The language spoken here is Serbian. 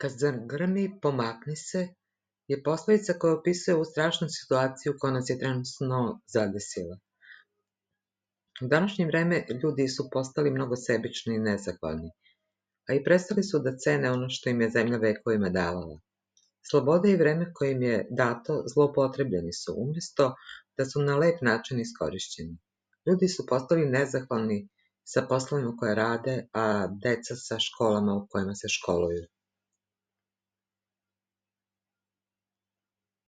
Kad zagrmi, pomakni se je poslovica koja opisuje ovu strašnu situaciju koja nas je trenutno zadesila. U današnje vreme ljudi su postali mnogo sebični i nezahvalni, a i prestali su da cene ono što im je zemlja vekovima davala. Sloboda i vreme koje im je dato zloupotrebljeni su, umesto da su na lep način iskorišćeni. Ljudi su postali nezahvalni sa poslovima koje rade, a deca sa školama u kojima se školuju.